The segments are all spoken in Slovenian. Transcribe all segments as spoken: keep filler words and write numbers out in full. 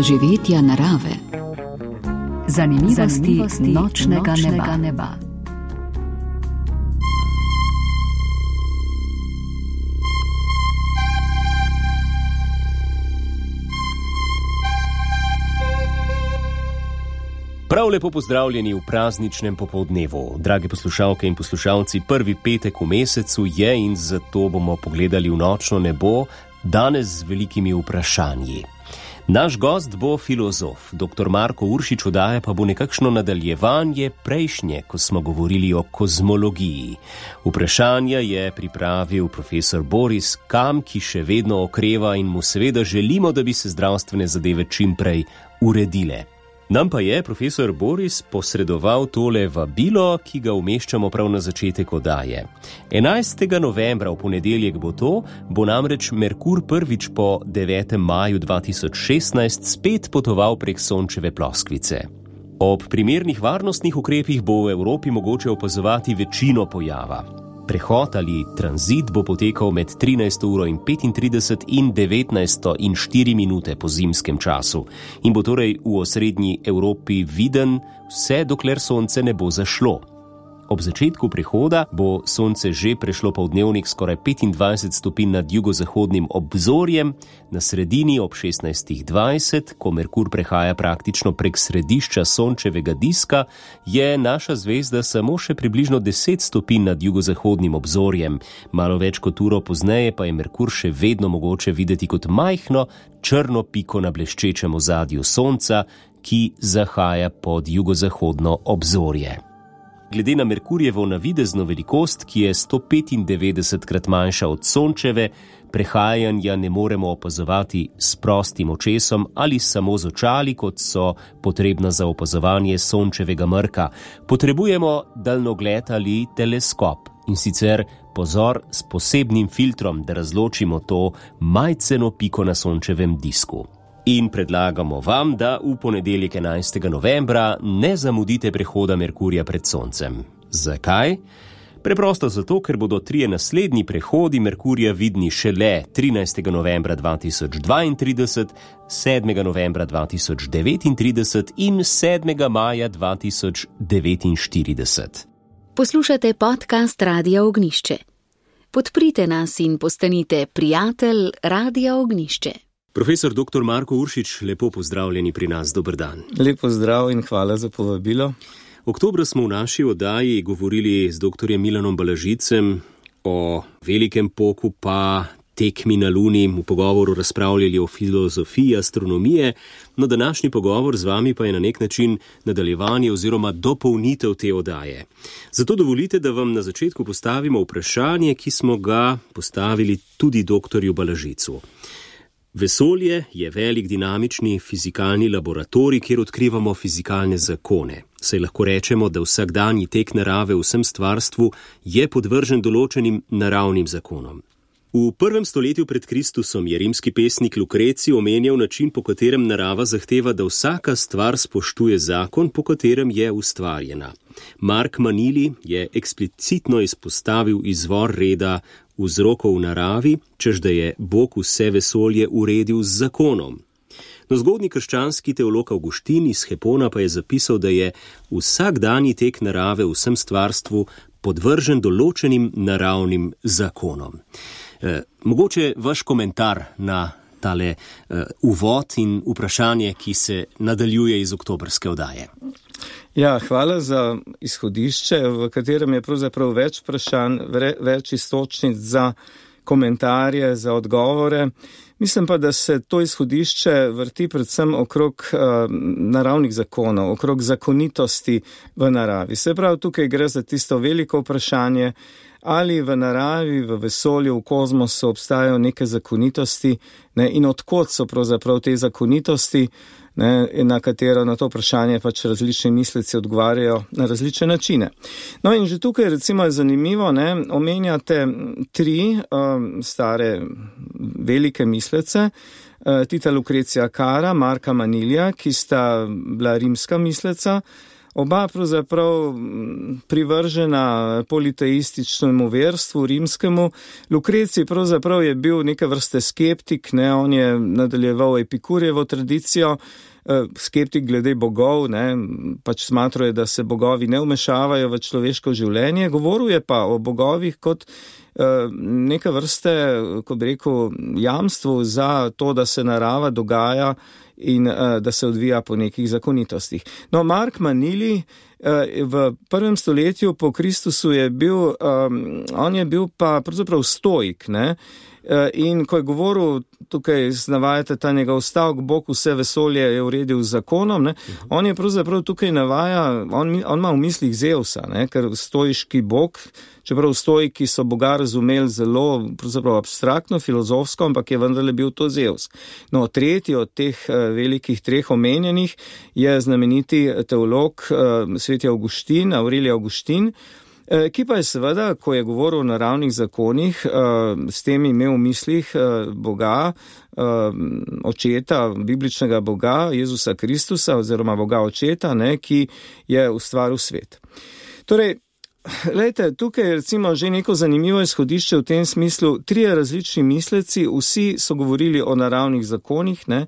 doživetja narave. Zanimivosti, Zanimivosti nočnega, nočnega neba. neba. Prav lepo pozdravljeni v prazničnem popoldnevu. Dragi poslušalke in poslušalci, prvi petek v mesecu je in zato bomo pogledali v nočno nebo, danes z velikimi vprašanji. Naš gost bo filozof, doktor Marko Uršič, oddaja pa bo nekakšno nadaljevanje prejšnje, ko smo govorili o kozmologiji. Vprašanja je pripravil profesor Boris Kam, ki še vedno okreva in mu seveda želimo, da bi se zdravstvene zadeve čim prej uredile. Nam pa je profesor Boris posredoval tole vabilo, ki ga umeščamo prav na začetek oddaje. enajstega novembra, v ponedeljek bo to, bo namreč Merkur prvič po devetem maju dva tisoč šestnajst spet potoval prek Sončeve ploskvice. Ob primernih varnostnih ukrepih bo v Evropi mogoče opazovati večino pojava. Prehod ali tranzit bo potekal med trinajsto uro in petintrideset in devetnajsto in štiri minute po zimskem času in bo torej v osrednji Evropi viden vse dokler sonce ne bo zašlo. Ob začetku prehoda bo sonce že prešlo poldnevnik skoraj petindvajset stopinj nad jugozahodnim obzorjem, na sredini ob šestnajst dvajset, ko Merkur prehaja praktično prek središča sončevega diska, je naša zvezda samo še približno deset stopinj nad jugozahodnim obzorjem. Malo več kot uro pozneje pa je Merkur še vedno mogoče videti kot majhno črno piko na bleščečem ozadju sonca, ki zahaja pod jugozahodno obzorje. Glede na Merkurjevo navidezno velikost, ki je sto petindevetdesetkrat manjša od Sončeve, prehajanja ne moremo opazovati s prostim očesom ali samo z očali, kot so potrebna za opazovanje Sončevega mrka. Potrebujemo daljnogled ali teleskop in sicer pozor s posebnim filtrom, da razločimo to majceno piko na Sončevem disku. In predlagamo vam, da v ponedeljek enajstega novembra ne zamudite prehoda Merkurja pred Soncem. Zakaj? Preprosto zato, ker bodo trije naslednji prehodi Merkurja vidni šele trinajstega novembra dva tisoč dvaintrideset, sedmega novembra dva tisoč devetintrideset in sedmega maja dva tisoč devetinštirideset. Poslušate podcast Radia Ognjišče. Podprite nas in postanite prijatelj Radia Ognjišče. Profesor doktor Marko Uršič, lepo pozdravljeni pri nas, dober dan. Lep pozdrav in hvala za povabilo. Oktobra smo v naši oddaji govorili z doktorjem Milanom Balažicem o velikem poku pa tekmi na Luni, v pogovoru razpravljali o filozofiji astronomije, no današnji pogovor z vami pa je na nek način nadaljevanje oziroma dopolnitev te oddaje. Zato dovolite, da vam na začetku postavimo vprašanje, ki smo ga postavili tudi doktorju Balažicu. Vesolje je velik dinamični fizikalni laboratorij, kjer odkrivamo fizikalne zakone. Saj lahko rečemo, da vsakdanji tek narave v vsem stvarstvu je podvržen določenim naravnim zakonom. V prvem stoletju pred Kristusom je rimski pesnik Lukreci omenjal način, po katerem narava zahteva, da vsaka stvar spoštuje zakon, po katerem je ustvarjena. Mark Manili je eksplicitno izpostavil izvor reda vzrokov v naravi, čež da je Bog vse vesolje uredil z zakonom. No, zgodnji krščanski teolog Avguštin iz Hepona pa je zapisal, da je vsakdanji tek narave v vsem stvarstvu podvržen določenim naravnim zakonom. E, mogoče vaš komentar na tale e, uvod in vprašanje, ki se nadaljuje iz oktobrske oddaje. Ja, hvala za izhodišče, v katerem je pravzaprav več vprašanj, več istočnic za komentarje, za odgovore. Mislim pa, da se to izhodišče vrti predvsem okrog uh, naravnih zakonov, okrog zakonitosti v naravi. Se pravi, tukaj gre za tisto veliko vprašanje, ali v naravi, v vesolju, v kozmosu obstajajo neke zakonitosti, ne, in odkot so pravzaprav te zakonitosti, ne, na katero na to vprašanje pač različni misleci odgovarjajo na različne načine. No in že tukaj recimo je zanimivo, ne, omenjate tri um, stare velike mislece, uh, Tita Lucretia Cara, Marka Manilija, ki sta bila rimska misleca, oba pravzaprav privržena politeističnemu verstvu rimskemu. Lukrecij pravzaprav je bil neke vrste skeptik, ne, on je nadaljeval Epikurjevo tradicijo, skeptik glede bogov, ne, pač smatruje, da se bogovi ne vmešavajo v človeško življenje, govoril je pa o bogovih kot neka vrste, ko bi rekel, jamstvu za to, da se narava dogaja in da se odvija po nekih zakonitostih. No, Mark Manili v prvem stoletju po Kristusu je bil, on je bil pa pravzaprav stoik, ne, in ko je govoril, tukaj navajate ta njegov stavek, Bog vse vesolje je uredil z zakonom, ne, on je pravzaprav tukaj navaja, on, on ima v mislih Zeusa, ne, ker stoiški Bog, čeprav stoiki so Boga razumeli zelo pravzaprav abstraktno, filozofsko, ampak je vendarle bil to Zeus. No, tretji od teh velikih treh omenjenih je znameniti teolog sveti Avguštin, Aurelij Avguštin, ki pa je seveda, ko je govoril o naravnih zakonih, s tem imel v mislih Boga, očeta, bibličnega Boga, Jezusa Kristusa oziroma Boga očeta, ne, ki je ustvaril svet. Torej, lejte, tukaj je recimo že neko zanimivo izhodišče v tem smislu, trije različni misleci, vsi so govorili o naravnih zakonih, ne,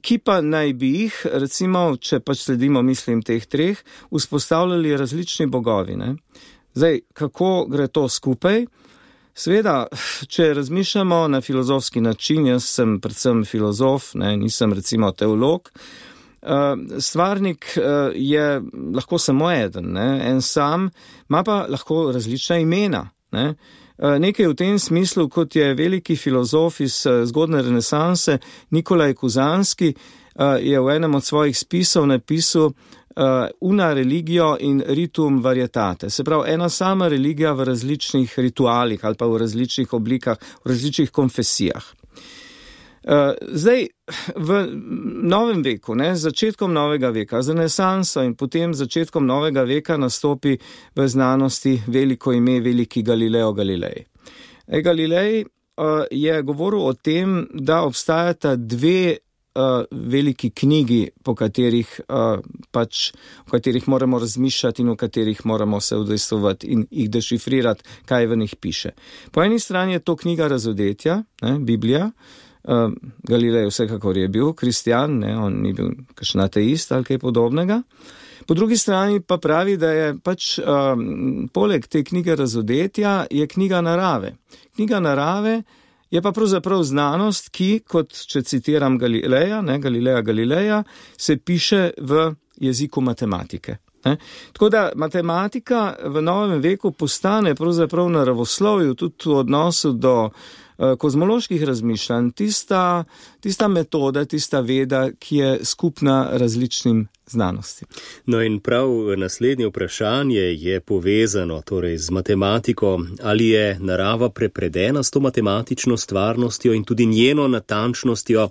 ki pa naj bi jih, recimo, če pač sledimo mislim teh treh, vzpostavljali različni bogovi, ne. Zdaj, kako gre to skupaj? Seveda, če razmišljamo na filozofski način, jaz sem predvsem filozof, ne, nisem recimo teolog, stvarnik je lahko samo eden, ne, en sam, ima pa lahko različna imena, ne. Nekaj v tem smislu, kot je veliki filozof iz zgodne renesanse Nikolaj Kuzanski, je v enem od svojih spisov napisal una religio in ritum varietate. Se pravi, ena sama religija v različnih ritualih ali pa v različnih oblikah, v različnih konfesijah. Zdaj, v novem veku, ne, z začetkom novega veka, z renesanso in potem začetkom novega veka nastopi v znanosti veliko ime, veliki Galileo Galilei. E, Galilei uh, je govoril o tem, da obstajata dve uh, veliki knjigi, po katerih, uh, pač, o katerih moramo razmišljati in o katerih moramo se udejstvovati in jih dešifrirati, kaj v njih piše. Po eni strani je to knjiga Razodetja, ne, Biblija. Uh, Galilej vsekakor je bil kristjan, ne, on ni bil kakšen ateist ali kaj podobnega. Po drugi strani pa pravi, da je pač um, poleg te knjige Razodetja je knjiga narave. Knjiga narave je pa pravzaprav znanost, ki, kot če citiram Galileja, ne, Galileja Galileja, se piše v jeziku matematike. Ne. Tako da matematika v novem veku postane pravzaprav naravoslovju tudi v odnosu do kozmoloških razmišljanj, tista, tista metoda, tista veda, ki je skupna različnim znanostim. No in prav naslednje vprašanje je povezano torej z matematiko, ali je narava prepredena s to matematično stvarnostjo in tudi njeno natančnostjo.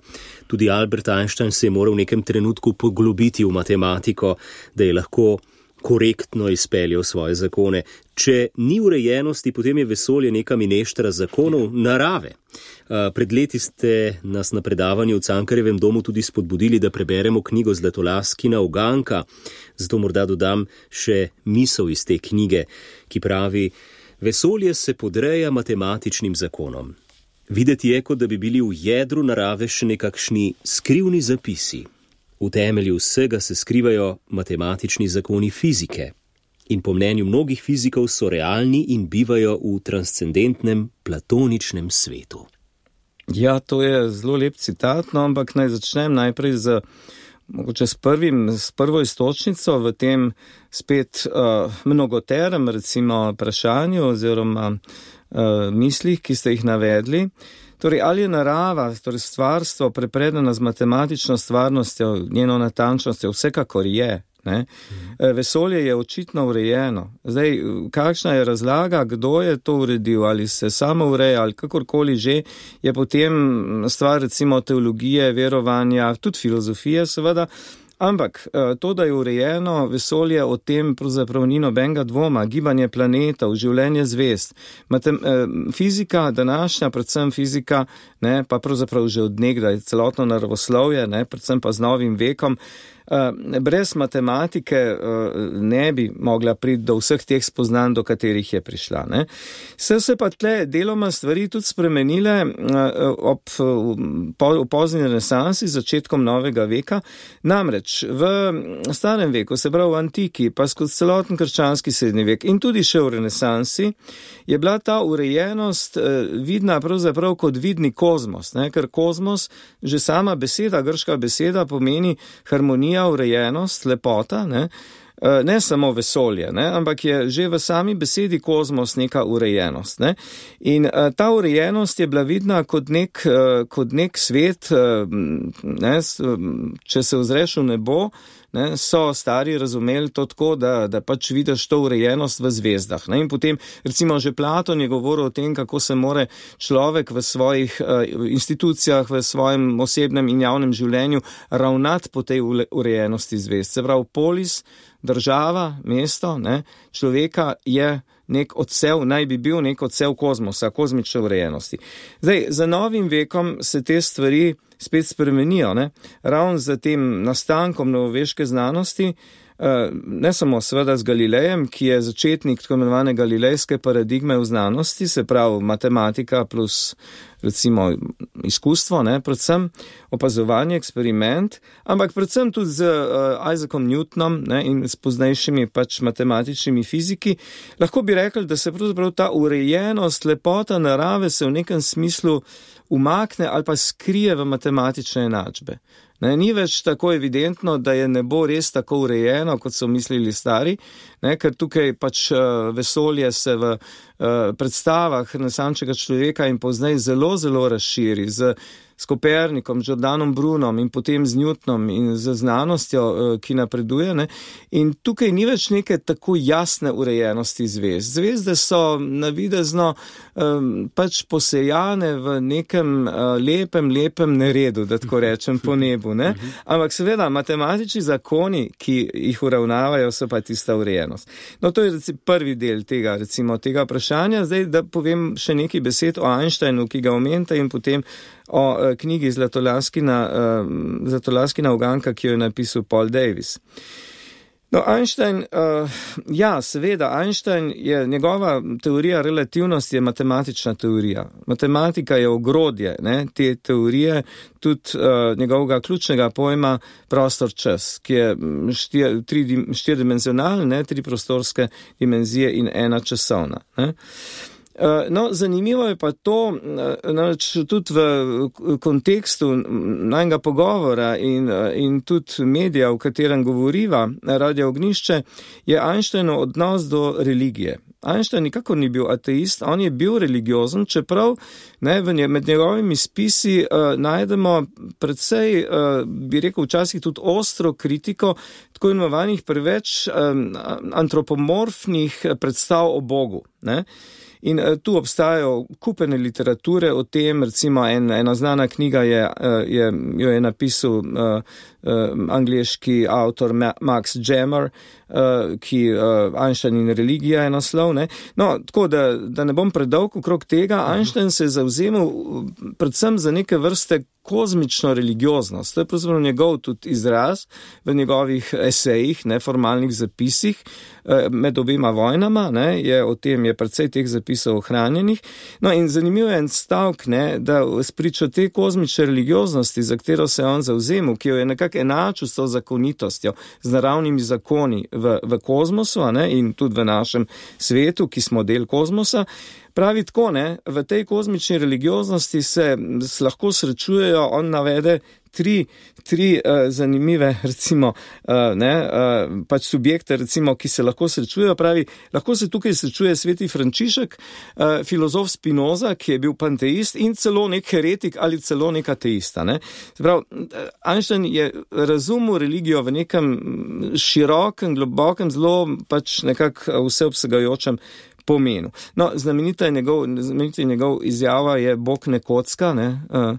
Tudi Albert Einstein se je moral v nekem trenutku poglobiti v matematiko, da je lahko korektno izpeljal svoje zakone. Če ni urejenosti, potem je vesolje neka mineštra zakonov narave. Pred leti ste nas na predavanju v Cankarjevem domu tudi spodbudili, da preberemo knjigo Zlatolaskina Uganka. Zato morda dodam še misel iz te knjige, ki pravi: vesolje se podreja matematičnim zakonom. Videti je, kot da bi bili v jedru narave še nekakšni skrivni zapisi. V temelju vsega se skrivajo matematični zakoni fizike in po mnenju mnogih fizikov so realni in bivajo v transcendentnem platoničnem svetu. Ja, to je zelo lep citat, no, ampak naj začnem najprej z, mogoče s, prvim, s prvo istočnico v tem spet uh, mnogoterem, recimo, vprašanju oziroma uh, mislih, ki ste jih navedli. Torej, ali je narava, torej stvarstvo, prepredena z matematično stvarnostjo, njeno natančnostjo, vsekakor je. Ne? Vesolje je očitno urejeno. Zdaj, kakšna je razlaga, kdo je to uredil, ali se samo ureja, ali kakorkoli že, je potem stvar recimo teologije, verovanja, tudi filozofije seveda. Ampak to, da je urejeno vesolje, o tem pravzaprav ni nobenega dvoma, gibanje planetov, življenje zvezd, Matem, fizika, današnja, predvsem fizika, ne, pa pravzaprav že od nekdaj celotno naravoslovje, ne, predvsem pa z novim vekom, brez matematike ne bi mogla priti do vseh teh spoznanj, do katerih je prišla. Ne. Se se pa tle deloma stvari tudi spremenile ob po, v pozni renesansi, začetkom novega veka. Namreč v starem veku, se pravi v antiki, pa skozi celoten krščanski srednji vek in tudi še v renesansi, je bila ta urejenost vidna pravzaprav kot vidni kozmos, ne? Ker kozmos, že sama beseda, grška beseda, pomeni harmonija, urejenost, lepota, ne? Ne samo vesolje, ne? Ampak je že v sami besedi kozmos neka urejenost. Ne? In uh, ta urejenost je bila vidna kot nek, uh, kot nek svet, uh, ne? Če se ozreš v nebo, ne? So stari razumeli to tako, da, da pač vidiš to urejenost v zvezdah. Ne? In potem, recimo, že Platon je govoril o tem, kako se more človek v svojih uh, institucijah, v svojem osebnem in javnem življenju ravnati po tej urejenosti zvezd. Se pravi, polis, država, mesto, ne, človeka je nek odsev, naj bi bil nek odsev kozmosa, kozmične urejenosti. Zdaj, za novim vekom se te stvari spet spremenijo, ne, ravno za tem nastankom novoveške znanosti, ne samo seveda z Galilejem, ki je začetnik tako imenovane galilejske paradigme v znanosti, se pravi matematika plus recimo izkustvo, ne, predvsem opazovanje, eksperiment, ampak predvsem tudi z uh, Isaacom Newtonom, ne, in s poznejšimi pač matematičnimi fiziki, lahko bi rekli, da se pravzaprav ta urejenost, lepota narave se v nekem smislu umakne ali pa skrije v matematične enačbe. Ne, ni več tako evidentno, da je nebo res tako urejeno, kot so mislili stari, ne, ker tukaj pač uh, vesolje se v uh, predstavah renesančnega človeka in poznej zelo, zelo razširi z s Kopernikom, Giordanom Brunom in potem z Newtonom in z znanostjo, ki napreduje. Ne? In tukaj ni več neke tako jasne urejenosti zvezd. Zvezde so navidezno um, pač posejane v nekem uh, lepem, lepem neredu, da tako rečem, po nebu. Ne? Ampak seveda, matematični zakoni, ki jih uravnavajo, so pa tista urejenost. No, to je recimo prvi del tega, recimo, tega vprašanja. Zdaj, da povem še nekaj besed o Einsteinu, ki ga omenite, in potem o uh, knjigi Zlatolaskina, uh, Zlatolaskina uganka, ki jo je napisal Paul Davies. No, Einstein, uh, ja, seveda, Einstein je, njegova teorija relativnosti je matematična teorija. Matematika je ogrodje, ne, te teorije, tudi uh, njegovega ključnega pojma prostor-čas, ki je štir, tri, štirdimenzionalen, ne, tri prostorske dimenzije in ena časovna. Ne. No, zanimivo je pa to, namreč tudi v kontekstu najnega pogovora in, in tudi medija, v katerem govoriva Radio Ognjišče, je Einsteinov odnos do religije. Einstein nikakor ni bil ateist, on je bil religiozen, čeprav ne, med njegovimi spisi uh, najdemo predvsej, uh, bi rekel, včasih tudi ostro kritiko tako imenovanih preveč um, antropomorfnih predstav o Bogu. Ne? In uh, tu obstajajo kupene literature o tem, recimo en, ena znana knjiga je, uh, je, jo je napisal uh, uh, angleški avtor Ma- Max Jammer, uh, ki uh, Einstein in religija je naslov. Ne? No, tako da, da ne bom predolg okrog tega, Einstein se je zavzemal predvsem za neke vrste kozmično religioznost. To je pravzaprav njegov tudi izraz v njegovih esejih, neformalnih zapisih med obema vojnama, ne, je o tem je precej teh zapisov ohranjenih. No in zanimivo je en stavk, ne, da spričo te kozmične religioznosti, za katero se je on zavzemal, ki jo je nekako enačil s to zakonitostjo, z naravnimi zakoni v, v kozmosu, ne, in tudi v našem svetu, ki smo del kozmosa, pravi tako, ne, v tej kozmični religioznosti se lahko srečujejo, on navede tri, tri uh, zanimive, recimo, uh, ne, uh, pač subjekte, recimo, ki se lahko srečujejo, pravi, lahko se tukaj srečuje sveti Frančišek, uh, filozof Spinoza, ki je bil panteist in celo nek heretik ali celo nek ateista, ne. Prav, Einstein je razumel religijo v nekem širokem, globokem, zelo pač nekako vseobsegajočem pomenu. No, znamenita je njegov, znamenita je njegov izjava je Bog ne kocka, ne, uh,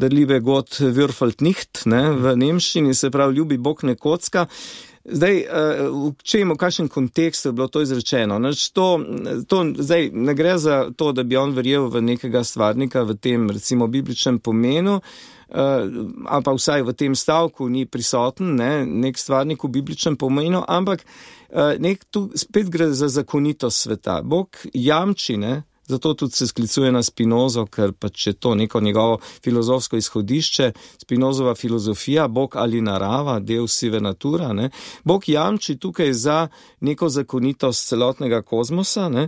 da liebe Gott würfelt nicht, ne, v nemščini se pravi ljubi Bog ne kocka. Zdaj, v čemu, v kakšnem kontekstu je bilo to izrečeno? Znači, to, to, zdaj, ne gre za to, da bi on verjel v nekega stvarnika v tem, recimo, bibličnem pomenu, ali pa vsaj v tem stavku ni prisoten, ne, nek stvarnik v bibličnem pomenu, ampak nek tu spet gre za zakonitost sveta. Bog jamči, ne, zato tudi se sklicuje na Spinozo, ker pač je to neko njegovo filozofsko izhodišče, Spinozova filozofija, Bog ali narava, Deus sive natura, ne. Bog jamči tukaj za neko zakonitost celotnega kozmosa, ne.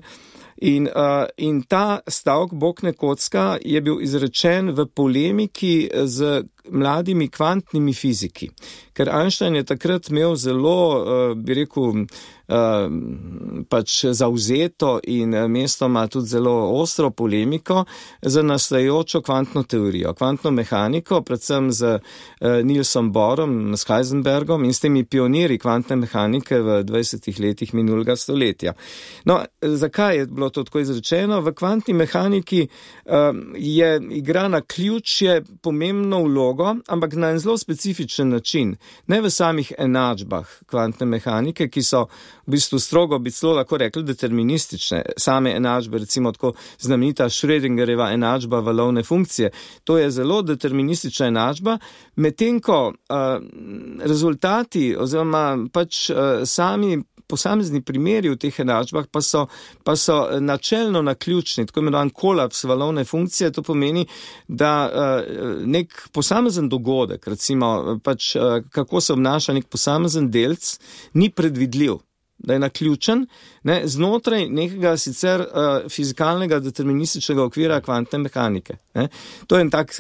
In, uh, in ta stavek Bog ne kocka je bil izrečen v polemiki z mladimi kvantnimi fiziki. Ker Einstein je takrat imel zelo, uh, bi rekel, uh, pač zavzeto in mestoma tudi zelo ostro polemiko za nastajajočo kvantno teorijo, kvantno mehaniko, predvsem z uh, Nielsom Bohrom, s Heisenbergom in s temi pionirji kvantne mehanike v dvajsetih letih minulega stoletja. No, zakaj je bilo to tako izrečeno? V kvantni mehaniki uh, je igra na ključje pomembno vlogo, ampak na en zelo specifičen način. Ne v samih enačbah kvantne mehanike, ki so v bistvu strogo, bi celo lahko rekli, deterministične. Same enačbe, recimo tako znamenita Schrödingerjeva enačba valovne funkcije. To je zelo deterministična enačba, medtem ko uh, rezultati oziroma pač uh, sami posamezni primeri v teh enačbah pa so, pa so načelno naključni, tako imenovan kolaps valovne funkcije. To pomeni, da uh, nek posamezen dogodek, recimo pač uh, kako se obnaša nek posamezen delc, ni predvidljiv, da je naključen, ne, znotraj nekega sicer uh, fizikalnega determinističnega okvira kvantne mehanike. Ne. To je en tak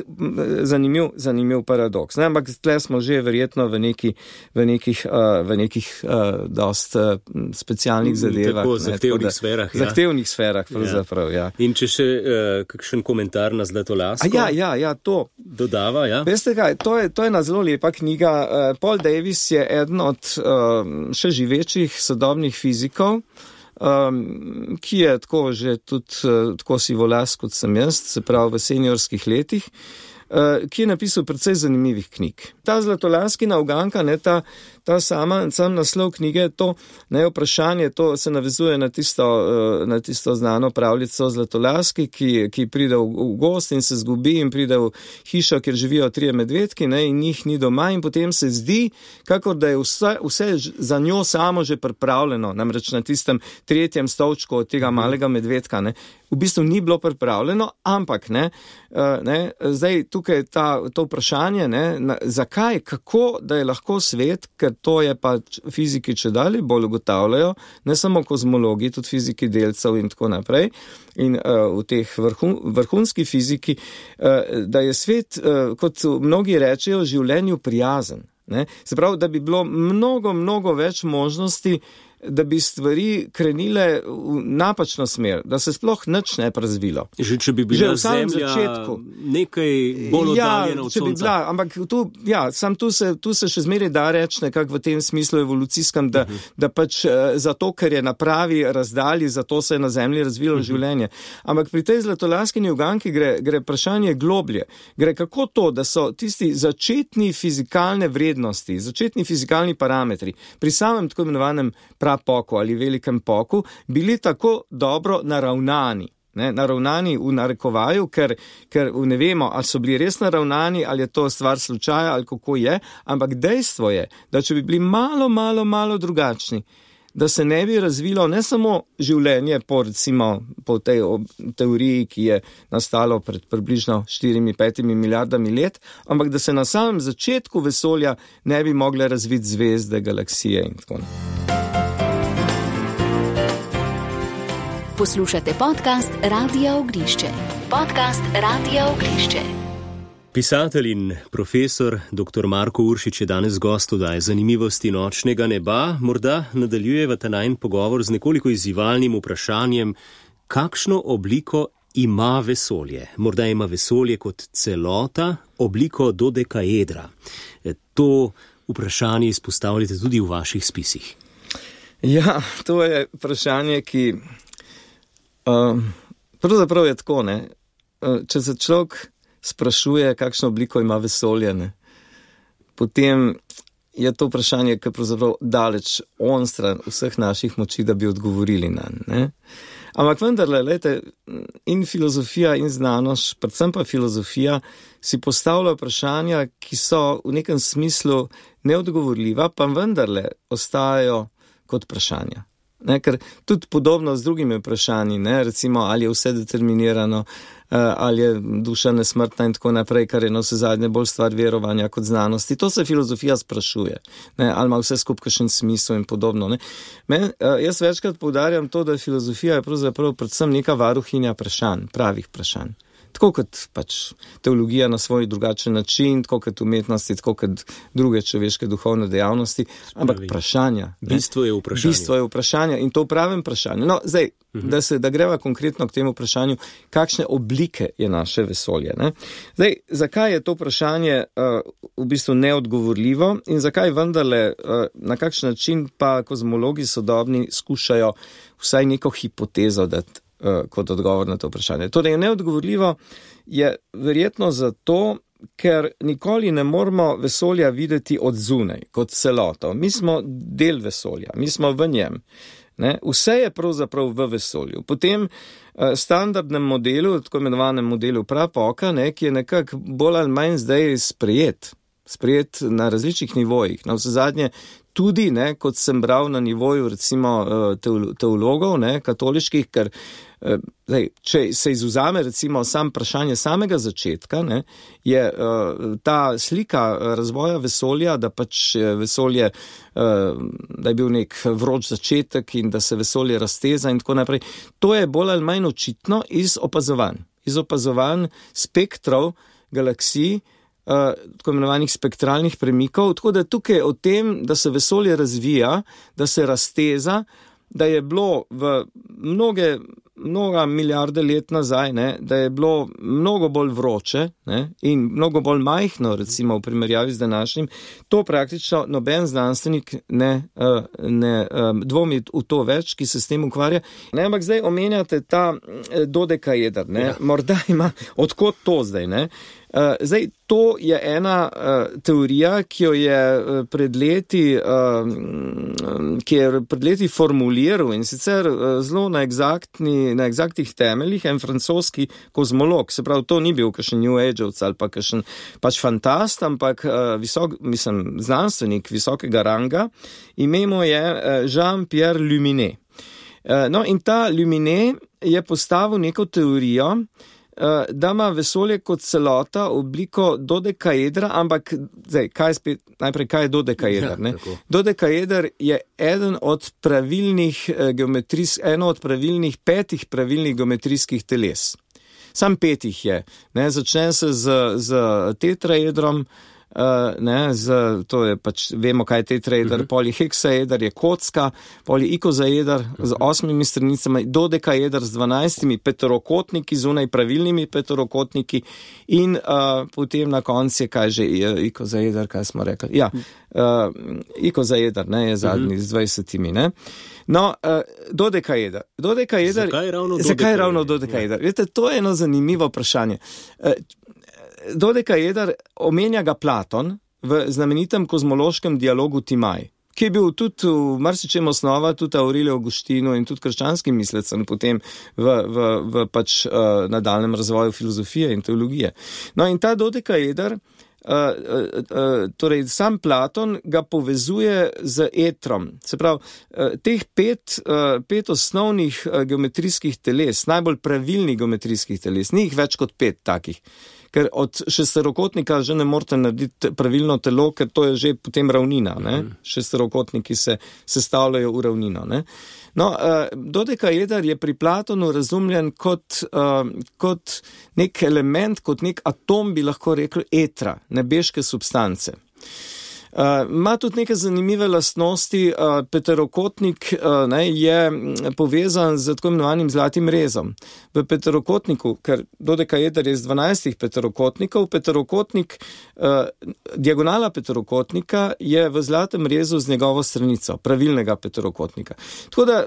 zanimiv, zanimiv paradoks. Ne, ampak tle smo že verjetno v, neki, v nekih, uh, v nekih uh, dost uh, specialnih zadevah. Tako, ne, zahtevnih tako da, sferah. Ja. Zahtevnih sferah, pravzaprav, ja. ja. In če še uh, kakšen komentar na Zlatolasko? A ja, ja, ja, to. Dodava, ja. Veste kaj, to je, to je ena zelo lepa knjiga. Uh, Paul Davies je eden od uh, še živečih sodobnih fizikov, um, ki je tako že tudi uh, tako sivolas kot sem jaz, se pravi v seniorskih letih, uh, ki je napisal precej zanimivih knjig. Ta Zlatolaskina uganka, ne, ta, ta sama, sam naslov knjige, to ne, vprašanje, to se navezuje na tisto, uh, na tisto znano pravljico Zlatolaski, ki, ki pride v, v gost in se zgubi in pride v hišo, kjer živijo trije medvedki, ne, in njih ni doma in potem se zdi, kakor da je vse, vse za njo samo že pripravljeno, namreč na tistem tretjem stolčku od tega malega medvedka, ne. V bistvu ni bilo pripravljeno, ampak ne, uh, ne, zdaj tukaj ta, to vprašanje, ne, na, zakaj, kako, da je lahko svet, ker to je pa fiziki čedalje bolj ugotavljajo, ne samo kozmologi, tudi fiziki delcev in tako naprej, in uh, v teh vrhun, vrhunski fiziki, uh, da je svet, uh, kot mnogi rečejo, življenju prijazen. Ne? Se pravi, da bi bilo mnogo, mnogo več možnosti, da bi stvari krenile v napačno smer, da se sploh nič ne bi razvilo. Že če bi bila Zemlja začetku nekaj bolj oddaljena ja, od če bi Sonca. bila, ampak tu, ja, sam tu se, tu se še zmeraj da reči nekako v tem smislu evolucijskem, da, uh-huh. da pač zato, ker je na pravi razdalji, zato se je na Zemlji razvilo uh-huh. življenje. Ampak pri tej Zlatolaskini uganki gre, gre vprašanje globlje. Gre kako to, da so tisti začetni fizikalne vrednosti, začetni fizikalni parametri pri samem tako imenovanem prapoku ali velikem poku bili tako dobro naravnani. Ne, naravnani v narekovaju, ker, ker ne vemo, ali so bili res naravnani, ali je to stvar slučaja, ali kako je, ampak dejstvo je, da če bi bili malo, malo, malo drugačni, da se ne bi razvilo ne samo življenje po, recimo, po tej teoriji, ki je nastalo pred približno štirimi, petimi milijardami let, ampak da se na samem začetku vesolja ne bi mogle razviti zvezde, galaksije in tako naprej. Poslušate podcast Radia Ognjišče. Podcast Radia Ognjišče. Pisatelj in profesor dr. Marko Uršič je danes gost oddaje Zanimivosti nočnega neba. Morda nadaljujeva ta najin pogovor z nekoliko izzivalnim vprašanjem, kakšno obliko ima vesolje. Morda ima vesolje kot celota obliko dodekaedra. To vprašanje izpostavljate tudi v vaših spisih. Ja, to je vprašanje, ki Uh, pravzaprav je tako, ne. Uh, če se človek sprašuje, kakšno obliko ima vesolje, ne, potem je to vprašanje, ki je pravzaprav daleč onstran vseh naših moči, da bi odgovorili nanj, ne. Ampak vendarle, lejte, in filozofija in znanost, predvsem pa filozofija, si postavlja vprašanja, ki so v nekem smislu neodgovorljiva, pa vendarle ostajajo kot vprašanja. Ne, ker tudi podobno z drugimi vprašanji, ne, recimo, ali je vse determinirano, ali je duša nesmrtna in tako naprej, kar je na vse zadnje bolj stvar verovanja kot znanosti. To se filozofija sprašuje, ne, ali ima vse skupaj kakšen smisel in podobno. Ne. Men, jaz večkrat poudarjam to, da filozofija je pravzaprav predvsem neka varuhinja vprašanj, pravih vprašanj. Tako kot pač teologija na svoj drugačen način, tako kot umetnosti, tako kot druge človeške duhovne dejavnosti, ampak vprašanja. Bistvo je vprašanje. Bistvo je vprašanje in to v pravem vprašanju. No, zdaj, uh-huh. da se, da greva konkretno k temu vprašanju, kakšne oblike je naše vesolje. Ne? Zdaj, zakaj je to vprašanje uh, v bistvu neodgovorljivo in zakaj vendarle, uh, na kakšen način pa kozmologi sodobni skušajo vsaj neko hipotezo dati kot odgovor na to vprašanje. Torej, neodgovorljivo je verjetno zato, ker nikoli ne moramo vesolja videti od zunaj, kot celoto. Mi smo del vesolja, mi smo v njem. Ne? Vse je pravzaprav v vesolju. Potem standardnem modelu, tako imenovanem modelu Prapoka, ne, ki je nekako bolj ali manj zdaj sprejet, sprejet na različnih nivojih. Na vse zadnje tudi, ne, kot sem bral na nivoju recimo teologov, ne, katoliških, ker zdaj, če se izuzame recimo sam vprašanje samega začetka, ne, je uh, ta slika razvoja vesolja, da pač vesolje, uh, da je bil nek vroč začetek in da se vesolje razteza in tako naprej, to je bolj ali manj očitno iz opazovanj, iz opazovanj spektrov galaksij, Uh, tako imenovanih spektralnih premikov, tako da tukaj o tem, da se vesolje razvija, da se razteza, da je bilo v mnoge, mnoga milijarde let nazaj, ne, da je bilo mnogo bolj vroče, ne, in mnogo bolj majhno, recimo v primerjavi z današnjim, to praktično noben znanstvenik ne, uh, ne um, dvomi v to več, ki se s tem ukvarja. Ne, ampak zdaj omenjate ta dodekaeder, ne, ja. Morda ima, odkot to zdaj, ne? Uh, zdaj, to je ena uh, teorija, ki jo je uh, pred leti, uh, ki je pred leti formuliral in sicer uh, zelo na, na egzaktnih temeljih en francoski kozmolog. Se pravi, to ni bil kakšen New Age-ovc ali pa kakšen pač fantast, ampak uh, visok, mislim, znanstvenik visokega ranga. Ime mu je uh, Jean-Pierre Luminet. Uh, no, in ta Luminet je postavil neko teorijo, da ima vesolje kot celota obliko dodekaedra, ampak zdaj, kaj spet, najprej, kaj je dodekaeder? Ne? Ja, dodekaeder je eden od pravilnih geometrijs, eno od pravilnih petih pravilnih geometrijskih teles. Sam petih je. Ne? Začne se z, z tetraedrom, Uh, ne, z, to je pač, vemo, kaj je tetraeder, uh-huh. Poliheksaeder je kocka, poliikozaeder uh-huh. z osmimi stranicami, dodekaeder z dvanajstimi petorokotniki, zunaj pravilnimi petorokotniki in uh, potem na koncu je, kaj že, ikozaeder, kaj smo rekli? Ja, uh, ikozaeder, ne, je zadnji uh-huh. z dvajsetimi, ne. No, uh, dodekaeder. Dodekaeder. Zakaj ravno dodekaeder? Zakaj ravno dodekaeder? Ja. Veste, to je eno zanimivo vprašanje. Uh, Dodekaeder omenja ga Platon v znamenitem kozmološkem dialogu Timaj, ki je bil tudi v marsičem osnova, tudi Aureliju Avgustinu in tudi krščanskim mislecem potem v, v, v pač uh, nadaljnjem razvoju filozofije in teologije. No in ta dodekaeder, Uh, uh, uh, torej sam Platon ga povezuje z etrom. Se pravi, uh, teh pet, uh, pet osnovnih uh, geometrijskih teles, najbolj pravilnih geometrijskih teles, ni jih več kot pet takih. Ker od šesterokotnika že ne morate narediti pravilno telo, ker to je že potem ravnina. Ne? Mm. Šesterokotniki se sestavljajo v ravnino. Ne? No, uh, dodekaeder je pri Platonu razumljen kot, uh, kot nek element, kot nek atom, bi lahko rekel, etra, nebeške substance. Uh, ima tudi neke zanimive lastnosti, uh, peterokotnik uh, ne, je povezan z tako imenovanim zlatim rezom. V peterokotniku, ker dodekaeder je z dvanajstih peterokotnikov, peterokotnik, uh, diagonala peterokotnika je v zlatem rezu z njegovo stranico, pravilnega peterokotnika. Tako da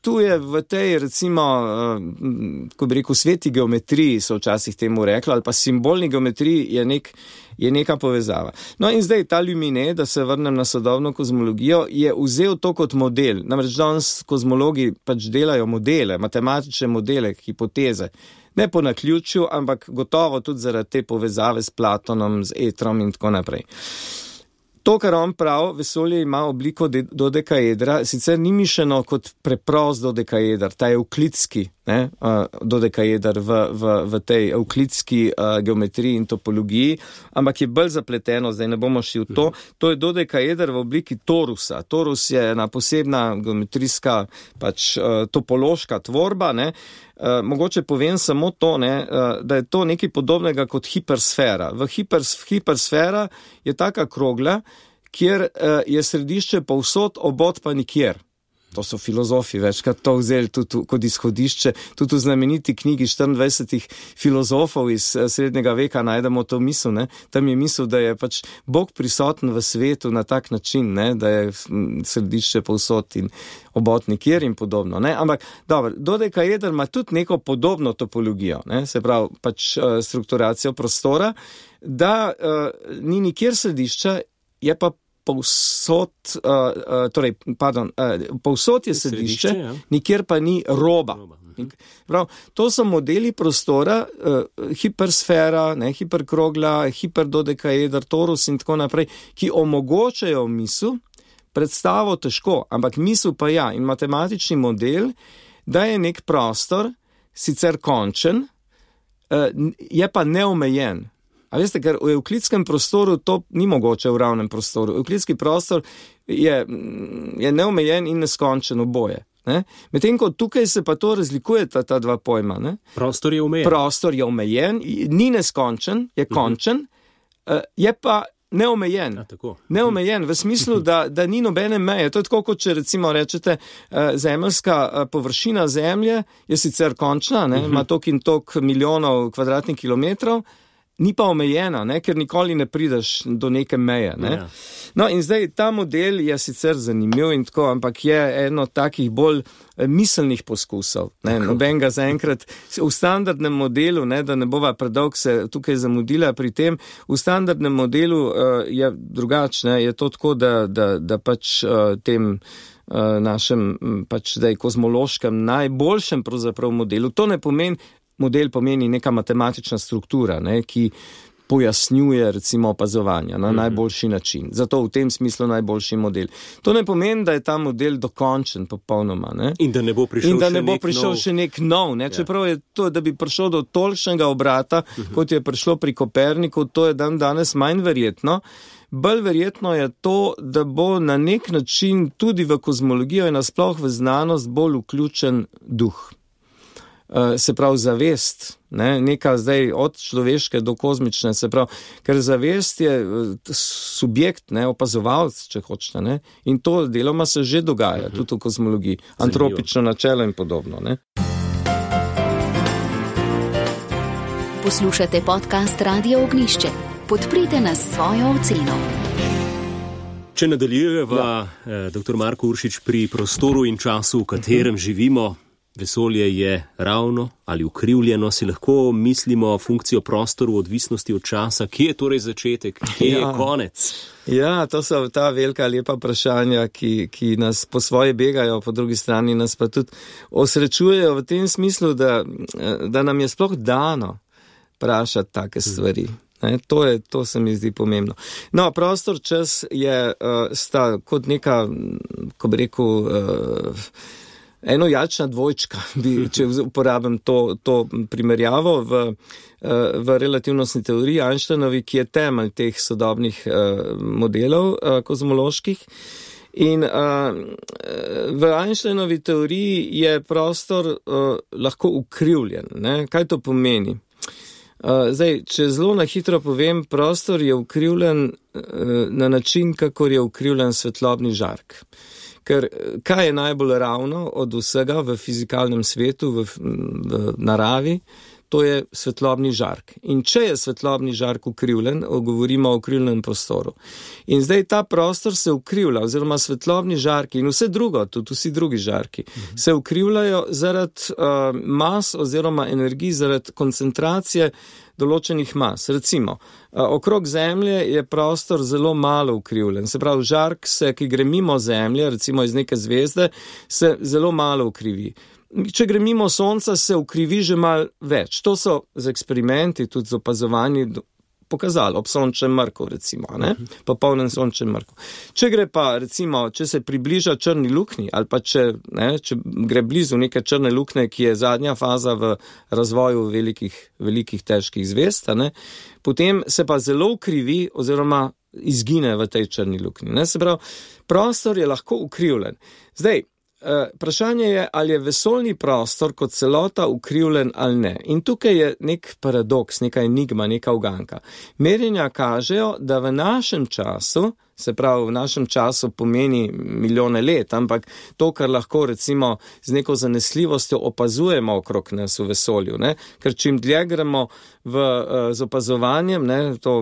tu je v tej, recimo, uh, ko bi rekel, sveti geometriji, so včasih temu rekli, ali pa simbolni geometriji je nek je neka povezava. No in zdaj ta Lumine, da se vrnem na sodobno kozmologijo, je vzel to kot model. Namreč danes kozmologi pač delajo modele, matematične modele, hipoteze. Ne po naključju, ampak gotovo tudi zaradi te povezave s Platonom, z etrom in tako naprej. To, kar on prav, vesolje ima obliko dodekaedra, sicer ni mišljeno kot preprost dodekaeder, ta evklidski ne, uh, dodekaeder v, v, v tej evklidski uh, geometriji in topologiji, ampak je bolj zapleteno, zdaj ne bomo šli v to. To je dodekaeder v obliki torusa. Torus je ena posebna geometrijska, pač uh, topološka tvorba, ne. Uh, mogoče povem samo to, ne, uh, da je to nekaj podobnega kot hipersfera. V hipers, hipersfera je taka krogla, kjer uh, je središče povsod, obod pa nikjer. To so filozofi večkrat to vzeli tudi kot izhodišče. Tudi v znameniti knjigi štiriindvajsetih filozofov iz srednjega veka najdemo to misel. Ne? Tam je misel, da je pač Bog prisoten v svetu na tak način, ne? Da je središče povsod in obod nikjer in podobno. Ne? Ampak, dobro, dodekaeder ima tudi neko podobno topologijo, ne? Se pravi pač uh, strukturacijo prostora, da uh, ni nikjer središča, je pa povsod, uh, uh, torej, pardon, uh, povsod je središče, središče ja. Nikjer pa ni roba. roba. Prav, to so modeli prostora, uh, hipersfera, ne, hiperkrogla, hiperdodekaeder, torus in tako naprej, ki omogočajo misel, predstavo težko, ampak misel pa ja, in matematični model, da je nek prostor, sicer končen, uh, je pa neomejen. A veste, ker v evklidskem prostoru to ni mogoče v ravnem prostoru. Evklidski prostor je, je neomejen in neskončen oboje. Ne? Medtem ko tukaj se pa to razlikuje ta, ta dva pojma. Ne? Prostor je omejen. Prostor je omejen, ni neskončen, je končen, uh-huh. je pa neomejen. A, tako. Neomejen v smislu, da, da ni nobene meje. To je tako, kot če recimo rečete, zemeljska površina zemlje je sicer končna, ne? Ima tok in tok milijonov kvadratnih kilometrov, ni pa omejena, ne, ker nikoli ne prideš do neke meje. Ne. Ja. No in zdaj ta model je sicer zanimiv in tako, ampak je eno takih bolj miselnih poskusov. Ne. Noben ga zaenkrat v standardnem modelu, ne, da ne bova predolg se tukaj zamudila pri tem, v standardnem modelu uh, je drugačne, je to tako, da, da, da pač uh, tem uh, našem pač zdaj kozmološkem najboljšem pravzaprav modelu, to ne pomeni, model pomeni neka matematična struktura, ne, ki pojasnjuje recimo opazovanja na mm-hmm. najboljši način. Zato v tem smislu najboljši model. To ne pomeni, da je ta model dokončen popolnoma. Ne. In da ne bo prišel, In da še, ne bo nek prišel nov... še nek nov. Ne. Čeprav je to, da bi prišel do tolikšnega obrata, mm-hmm. kot je prišlo pri Koperniku, to je dan danes manj verjetno. Bolj verjetno je to, da bo na nek način tudi v kozmologijo in nasploh v znanost bolj vključen duh. Se pravi zavest, ne, neka zdaj od človeške do kozmične, se pravi, ker zavest je subjekt, ne, opazovalc, če hočete, ne, in to deloma se že dogaja, uh-huh. tudi v kozmologiji, antropično načelo in podobno, ne. Poslušate podcast Radio Ognišče. Podprite nas s svojo oceno. Če nadaljujeva, ja. eh, doktor Marko Uršič, pri prostoru in času, v katerem uh-huh. živimo, vesolje je ravno ali ukrivljeno, si lahko mislimo funkcijo prostoru v odvisnosti od časa. Kje je torej začetek, kje ja. je konec? Ja, to so ta velika lepa vprašanja, ki, ki nas po svoje begajo, po drugi strani nas pa tudi osrečujejo v tem smislu, da, da nam je sploh dano vprašati take stvari. Ne, to, je, to se mi zdi pomembno. No, prostor, čas je uh, sta kot neka, ko bi rekel, uh, enojačna dvojčka, bi, če uporabim to, to primerjavo v, v relativnostni teoriji Einsteinovi, ki je temelj teh sodobnih modelov kozmoloških. In v Einsteinovi teoriji je prostor lahko ukrivljen. Ne? Kaj to pomeni? Zdaj, če zelo na hitro povem, prostor je ukrivljen na način, kakor je ukrivljen svetlobni žark. Ker kaj je najbolj ravno od vsega v fizikalnem svetu, v, v naravi? to je svetlobni žark. In če je svetlobni žark ukrivljen, govorimo o ukrivljenem prostoru. In zdaj ta prostor se ukrivlja, oziroma svetlobni žarki in vse drugo, tudi vsi drugi žarki, mhm. se ukrivljajo zaradi uh, mas oziroma energij, zaradi koncentracije določenih mas. Recimo, okrog Zemlje je prostor zelo malo ukrivljen. Se pravi, žark, se, ki gre mimo Zemlje, recimo iz neke zvezde, se zelo malo ukrivi. Če gre mimo Sonca, se ukrivi že malo več. To so z eksperimenti, tudi z opazovanji pokazali, ob sončnem mrku, recimo, ne? Popolnem sončnem mrku. Če gre pa, recimo, če se približa črni luknji, ali pa če, ne, če gre blizu neke črne luknje, ki je zadnja faza v razvoju velikih, velikih težkih zvezd, ne, potem se pa zelo ukrivi oziroma izgine v tej črni luknji. Ne? Se pravi, prostor je lahko ukrivljen. Zdaj, vprašanje je, ali je vesoljni prostor kot celota ukrivljen ali ne. In tukaj je nek paradoks, neka enigma, neka uganka. Merjenja kažejo, da v našem času, se pravi v našem času pomeni milijone let, ampak to, kar lahko recimo z neko zanesljivostjo opazujemo okrog nas v vesolju, ne? Ker čim dlje gremo v, z opazovanjem, ne? To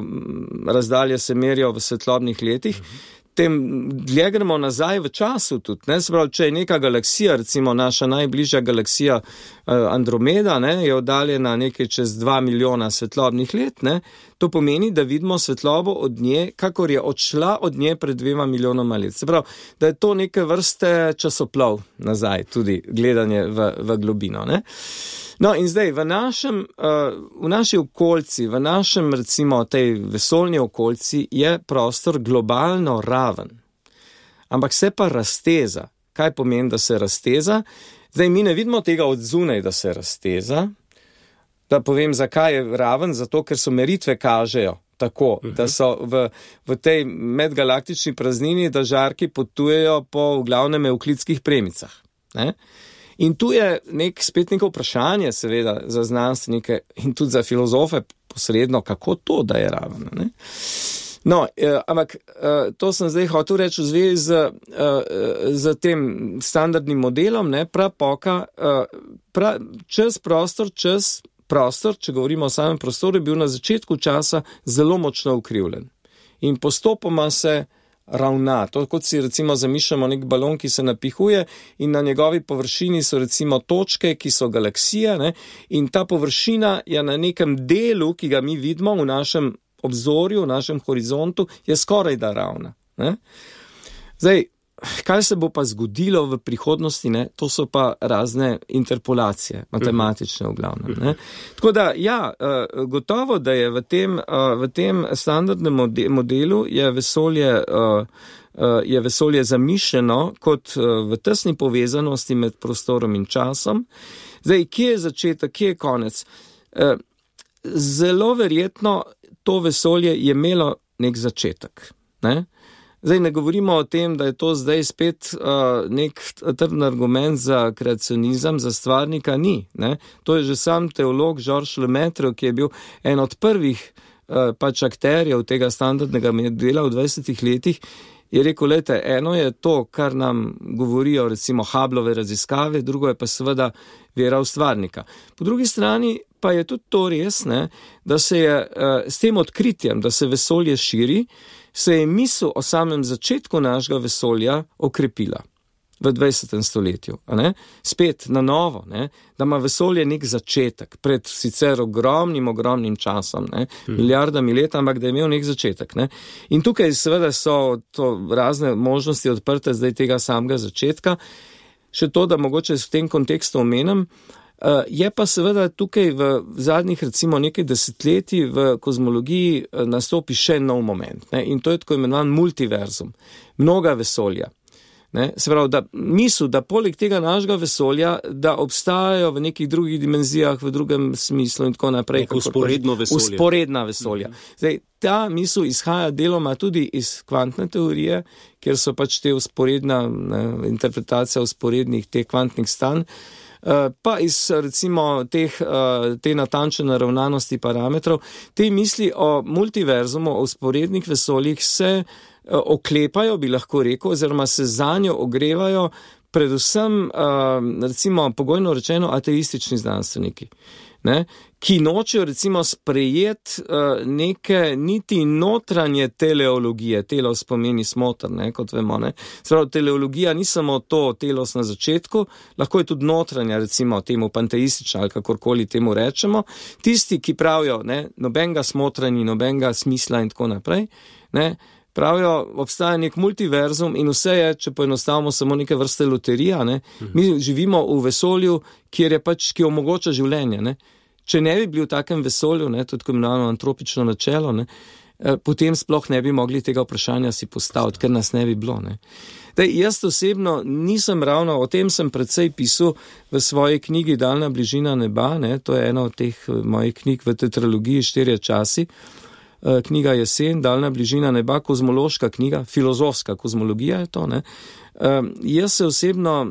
razdalje se merijo v svetlobnih letih, tem dlje gremo nazaj v času tudi, ne, se pravi, če je neka galaksija, recimo naša najbližja galaksija Andromeda, ne, je oddaljena nekaj čez dva milijona svetlobnih let, ne, to pomeni, da vidimo svetlobo od nje, kakor je odšla od nje pred dvema milijonoma let. Se pravi, da je to neke vrste časoplov nazaj, tudi gledanje v, v globino, ne. No in zdaj, v našem, v naši okolici, v našem recimo tej vesoljni okolici je prostor globalno raven. Ampak se pa razteza. Kaj pomeni, da se razteza? Zdaj, mi ne vidimo tega od zunaj, da se razteza. Da povem, zakaj je raven, zato ker so meritve kažejo tako, uh-huh. da so v, v tej medgalaktični praznini, da žarki potujejo po v glavnem evklidskih premicah. Ne? In tu je nek, spet neko vprašanje, seveda, za znanstvenike in tudi za filozofe posredno, kako to, da je raven. Ne? No, eh, ampak eh, to sem zdaj hotel reči v zvezi z, eh, z tem standardnim modelom, ne, prapoka, eh, pra, čas, prostor, čas, prostor, če govorimo o samem prostoru, je bil na začetku časa zelo močno ukrivljen. In postopoma se ravna. To, kot si recimo zamišljamo nek balon, ki se napihuje in na njegovi površini so recimo točke, ki so galaksije, ne? In ta površina je na nekem delu, ki ga mi vidimo v našem obzorju, v našem horizontu, je skoraj da ravna. Ne? Zdaj, kaj se bo pa zgodilo v prihodnosti, ne? To so pa razne interpolacije, matematične v glavnem. Ne? Tako da, ja, gotovo, da je v tem, v tem standardnem modelu je vesolje, je vesolje zamišljeno kot v tesni povezanosti med prostorom in časom. Zdaj, kje je začetek, kje je konec? Zelo verjetno to vesolje je imelo nek začetek, ne? Zdaj ne govorimo o tem, da je to zdaj spet uh, nek trden argument za kreacionizem, za stvarnika, ni. Ne? To je že sam teolog Georges Lemaitre, ki je bil en od prvih uh, pač akterjev tega standardnega dela v dvajsetih letih, je rekel, lejte, eno je to, kar nam govorijo recimo Hubbleove raziskave, drugo je pa seveda vera v stvarnika. Po drugi strani pa je tudi to res, ne, da se je uh, s tem odkritjem, da se vesolje širi, se je misel o samem začetku našega vesolja okrepila v dvajsetem stoletju. A ne? Spet na novo, ne? Da ima vesolje nek začetek pred sicer ogromnim, ogromnim časom, ne? Milijardami let, ampak da je imel nek začetek. Ne? In tukaj seveda so to razne možnosti odprte zdaj tega samega začetka. Še to, da mogoče v tem kontekstu omenim, Uh, je pa seveda tukaj v zadnjih recimo nekaj desetletij v kozmologiji uh, nastopi še nov moment, ne? In to je tako imenovan multiverzum, mnoga vesolja. Ne? Se pravi, da misel, da poleg tega našega vesolja, da obstajajo v nekih drugih dimenzijah, v drugem smislu in tako naprej. Usporedno vesolje. Usporedna vesolja. Zdaj, ta misel izhaja deloma tudi iz kvantne teorije, kjer so pač te usporedna, ne, interpretacija usporednih teh kvantnih stanj, pa iz recimo teh, te natančne naravnanosti parametrov, te misli o multiverzumu, o usporednih vesoljih se oklepajo, bi lahko rekel, oziroma se zanjo ogrevajo predvsem, recimo, pogojno rečeno, ateistični znanstveniki. ne, ki nočejo recimo sprejeti uh, neke niti notranje teleologije. Telos pomeni smotr, ne, kot vemo. Ne. Zdaj, teleologija ni samo to telos na začetku, lahko je tudi notranja, recimo temu panteistična ali kakorkoli temu rečemo. Tisti, ki pravijo, ne, nobenega smotra ni, nobenega smisla in tako naprej, ne, pravijo, obstaja nek multiverzum in vse je, če poenostavimo, samo neke vrste loterija. Ne. Mi živimo v vesolju, kjer je pač, ki omogoča življenje. Ne. Če ne bi bili v takem vesolju, ne, tudi ko imenovano antropično načelo, ne, potem sploh ne bi mogli tega vprašanja si postaviti, ker nas ne bi bilo. Ne. Daj, jaz osebno nisem ravno, o tem sem precej pisal v svoji knjigi Daljna bližina neba, ne, to je ena od teh mojih knjig v tetralogiji Štirje časi. Knjiga Jesen, Daljna bližina neba, kozmološka knjiga, filozofska kozmologija je to. Ne. Uh, jaz se osebno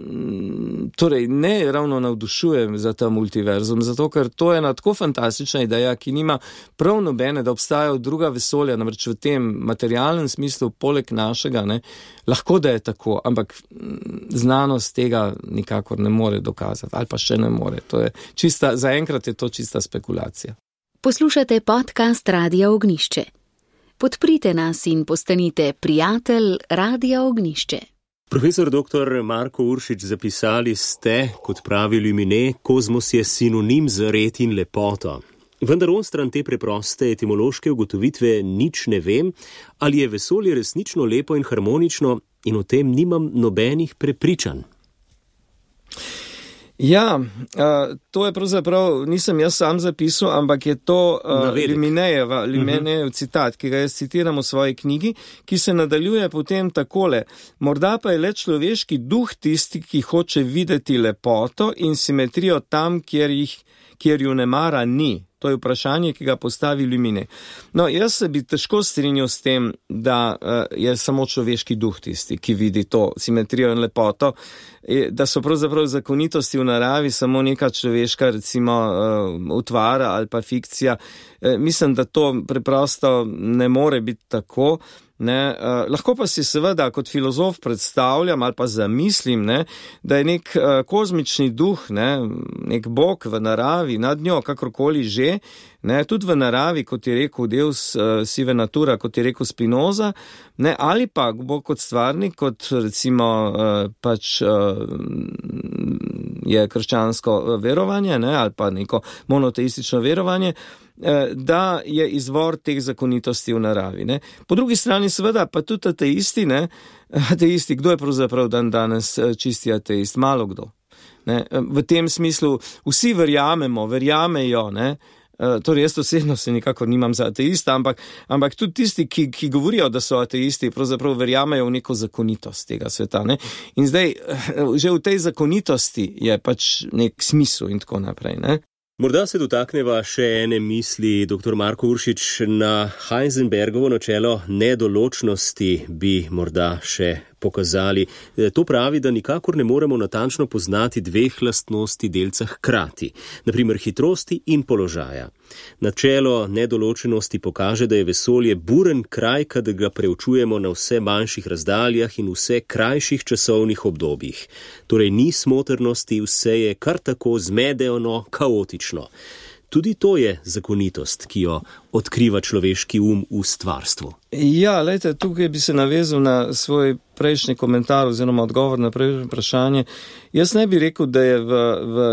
torej ne ravno navdušujem za ta multiverzum, zato ker to je ena tako fantastična ideja, ki nima prav nobene, da obstajajo druga vesolja, namreč v tem materialnem smislu poleg našega, ne, lahko da je tako, ampak znanost tega nikakor ne more dokazati, ali pa še ne more. To je čista, zaenkrat je to čista spekulacija. Poslušate podcast Radia Ognišče. Podprite nas in postanite prijatelj Radia Ognišče. Profesor doktor Marko Uršič, zapisali ste, kot pravi Lumine, kozmos je sinonim za red in lepoto. Vendar on stran te preproste etimološke ugotovitve nič ne vem, ali je vesolje resnično lepo in harmonično in o tem nimam nobenih prepričanj. Ja, uh, to je pravzaprav, nisem jaz sam zapisal, ampak je to uh, Luminejeva, Luminejev citat, ki ga jaz citiram v svoji knjigi, ki se nadaljuje potem takole. Morda pa je le človeški duh tisti, ki hoče videti lepoto in simetrijo tam, kjer, jih, kjer ju ne mara ni. To je vprašanje, ki ga postavi Lumine. No, jaz se bi težko strinjal s tem, da uh, je samo človeški duh tisti, ki vidi to simetrijo in lepoto, da so pravzaprav zakonitosti v naravi samo neka človeška, recimo, uh, utvara ali pa fikcija. E, mislim, da to preprosto ne more biti tako. Ne, uh, lahko pa si seveda kot filozof predstavljam ali pa zamislim, ne, da je nek uh, kozmični duh, ne, nek bog v naravi, nad njo, kakorkoli že, ne, tudi v naravi, kot je rekel Deus uh, sive natura, kot je rekel Spinoza, ne, ali pa bog kot stvarnik, kot recimo uh, pač uh, je krščansko verovanje, ne, ali pa neko monoteistično verovanje, da je izvor teh zakonitosti v naravi. Ne. Po drugi strani seveda pa tudi ateisti, ne, ateisti, kdo je pravzaprav dan danes čisti ateist? Malo kdo. Ne. V tem smislu vsi verjamemo, verjamejo, ne. Torej jaz osebno se nikakor nimam za ateista, ampak, ampak tudi tisti, ki, ki govorijo, da so ateisti, pravzaprav verjamejo v neko zakonitost tega sveta. Ne. In zdaj, že v tej zakonitosti je pač nek smisel in tako naprej. Ne. Morda se dotakneva še ene misli, doktor Marko Uršič, na Heisenbergovo načelo nedoločnosti bi morda še pokazali. To pravi, da nikakor ne moremo natančno poznati dveh lastnosti delca hkrati, na primer hitrosti in položaja. Načelo nedoločenosti pokaže, da je vesolje buren kraj, kadar ga preučujemo na vse manjših razdaljah in vse krajših časovnih obdobjih. Torej ni smotrnosti, vse je kar tako zmedeano, kaotično. Tudi to je zakonitost, ki jo odkriva človeški um v stvarstvu. Ja, lejte, tukaj bi se navezal na svoj prejšnji komentar oziroma odgovor na prejšnje vprašanje. Jaz ne bi rekel, da je v, v,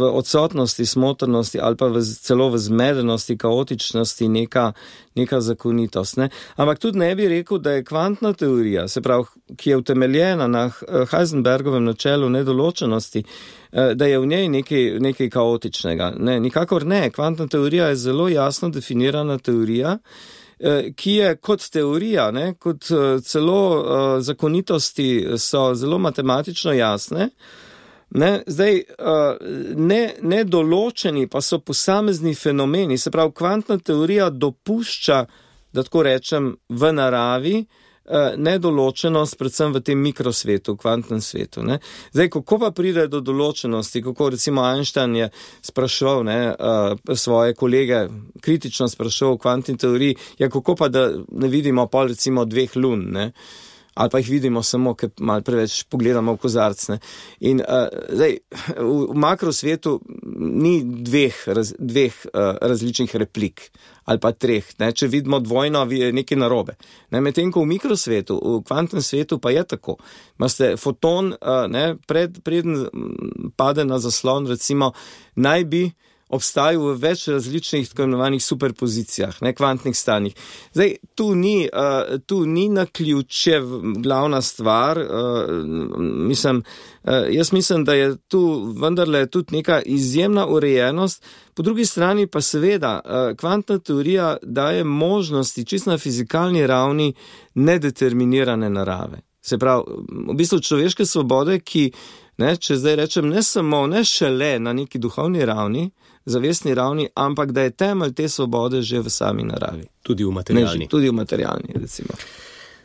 v odsotnosti smotrnosti ali pa v, celo v zmedenosti, kaotičnosti neka, neka zakonitost. Ne? Ampak tudi ne bi rekel, da je kvantna teorija, se pravi, ki je utemeljena na Heisenbergovem načelu nedoločenosti, da je v njej nekaj, nekaj kaotičnega. Ne, nikakor ne. Kvantna teorija je zelo jasno definirana teorija, ki je kot teorija, ne, kot celo uh, zakonitosti so zelo matematično jasne. Ne, zdaj, uh, ne, nedoločeni pa so posamezni fenomeni, se pravi, kvantna teorija dopušča, da tako rečem, v naravi uh, nedoločenost, predvsem v tem mikrosvetu, kvantnem svetu. Ne. Zdaj, kako pa pride do določenosti, kako recimo Einstein je spraševal ne, uh, svoje kolege, kritično spraševal v kvantni teoriji, ja, kako pa da ne vidimo pol recimo dveh lun, ne. ali pa jih vidimo samo, ker malo preveč pogledamo v kozarc. Ne. In uh, zdaj, v, v makrosvetu ni dveh, raz, dveh uh, različnih replik ali pa treh. Ne. Če vidimo dvojno, je nekaj narobe. Ne. Medtem ko v mikrosvetu, v kvantnem svetu pa je tako. Imate foton, uh, ne, pred, preden pade na zaslon, recimo, naj bi obstajal v več različnih tako imenovanih superpozicijah, ne, kvantnih stanjih. Zdaj, tu ni, uh, tu ni naključje glavna stvar, uh, mislim, uh, jaz mislim, da je tu vendarle tudi neka izjemna urejenost, po drugi strani pa seveda uh, kvantna teorija daje možnosti čisto na fizikalni ravni nedeterminirane narave. Se pravi, v bistvu človeške svobode, ki, ne, če zdaj rečem, ne samo, ne šele na neki duhovni ravni, zavestni ravni, ampak da je temelj te svobode že v sami naravi. Tudi v materialni. Ne, tudi v materialni, recimo.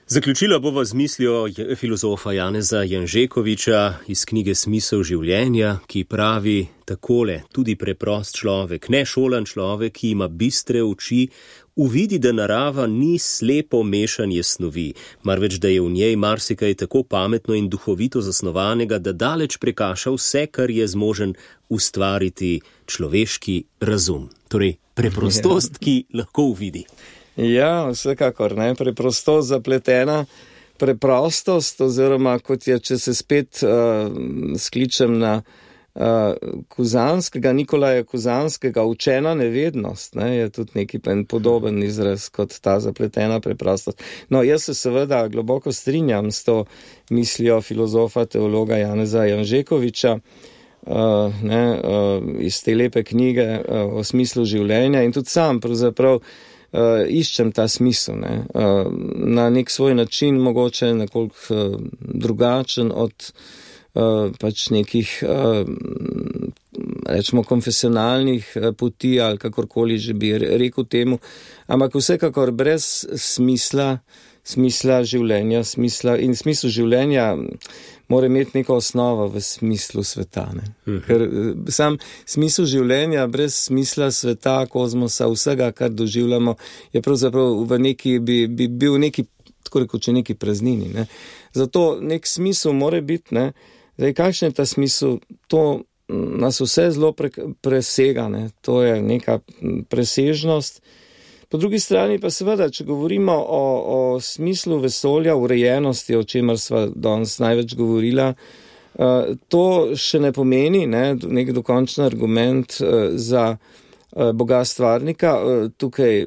Zaključila bova z mislijo filozofa Janeza Janžekoviča iz knjige Smisel življenja, ki pravi takole: tudi preprost človek, nešolan človek, ki ima bistre oči, uvidi, da narava ni slepo mešanje snovi, marveč da je v njej marsikaj tako pametno in duhovito zasnovanega, da daleč prekaša vse, kar je zmožen ustvariti človeški razum. Torej, preprostost, ki lahko uvidi. Ja, vsekakor, ne, preprostost zapletena, preprostost, oziroma kot je, če se spet uh, skličem na uh, Kuzanskega, Nikolaja Kuzanskega, učena nevednost, ne, je tudi neki podoben izraz kot ta zapletena preprostost. No, jaz se seveda globoko strinjam s to mislijo filozofa, teologa Janeza Janžekoviča, uh, ne, uh, iz te lepe knjige uh, o smislu življenja, in tudi sam pravzaprav Uh, iščem ta smisel, ne, uh, na nek svoj način, mogoče nekoliko uh, drugačen od uh, pač nekih, uh, rečemo, konfesionalnih uh, poti ali kakorkoli že bi rekel temu, ampak vsekakor brez smisla, smisla življenja, smisla in smislu življenja mora imeti neko osnovo v smislu sveta. Ne? Mhm. Ker sam smisel življenja brez smisla sveta, kozmosa, vsega, kar doživljamo, je pravzaprav v neki, bi, bi bil neki, tako rekoč, neki praznini. Ne? Zato nek smisel mora biti, ne? Zdaj, kakšen je ta smisel, to nas vse zelo pre, presega, ne? To je neka presežnost. Po drugi strani pa seveda, če govorimo o, o smislu vesolja, urejenosti, o čemer sva danes največ govorila, to še ne pomeni, ne, nek dokončen argument za Boga stvarnika. Tukaj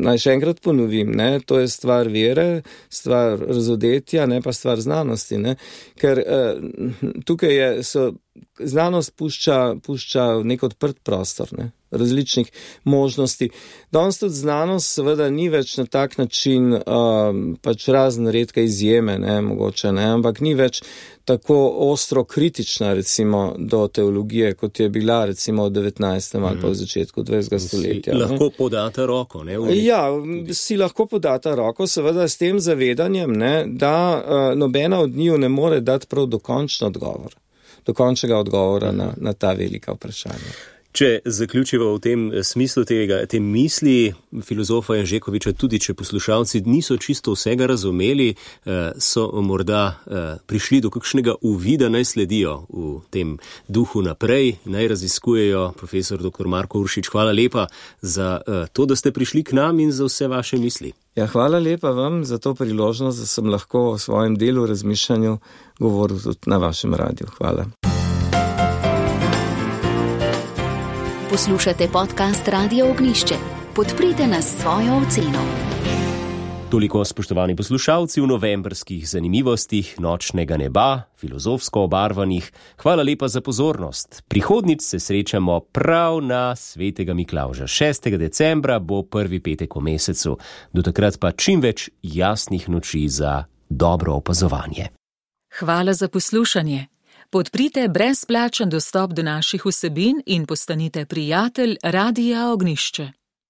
naj še enkrat ponovim, ne, to je stvar vere, stvar razodetja, ne pa stvar znanosti, ne, ker tukaj je, so, znanost pušča, pušča nek odprt prostor, ne, različnih možnosti. Danes tudi znanost seveda ni več na tak način um, pač razne redke izjeme, ne, mogoče, ne, ampak ni več tako ostro kritična, recimo, do teologije, kot je bila, recimo, v devetnajstem ali pa v začetku dvajsetega stoletja. Si lahko podata roko, ne? Ja, si lahko podata roko, seveda s tem zavedanjem, ne, da uh, nobena od njiju ne more dati prav dokončen odgovor, dokončnega odgovora na, na ta velika vprašanja. Če zaključiva v tem smislu tega, te misli filozofa Janžekoviča, tudi če poslušalci niso čisto vsega razumeli, so morda prišli do kakšnega uvida, naj sledijo v tem duhu naprej, naj raziskujejo. Profesor doktor Marko Uršič, hvala lepa za to, da ste prišli k nam in za vse vaše misli. Ja, hvala lepa vam za to priložnost, da sem lahko o svojem delu, razmišljanju govoril tudi na vašem radiju. Hvala. Poslušate podcast Radia Ognišče. Podprite nas s svojo oceno. Toliko, spoštovani poslušalci, v novembrskih zanimivostih Nočnega neba, filozofsko obarvanih. Hvala lepa za pozornost. Prihodnič se srečamo prav na svetega Miklavža. šestega decembra bo prvi petek v mesecu. Do takrat pa čim več jasnih noči za dobro opazovanje. Hvala za poslušanje. Podprite brezplačen dostop do naših vsebin in postanite prijatelj Radia Ognišče.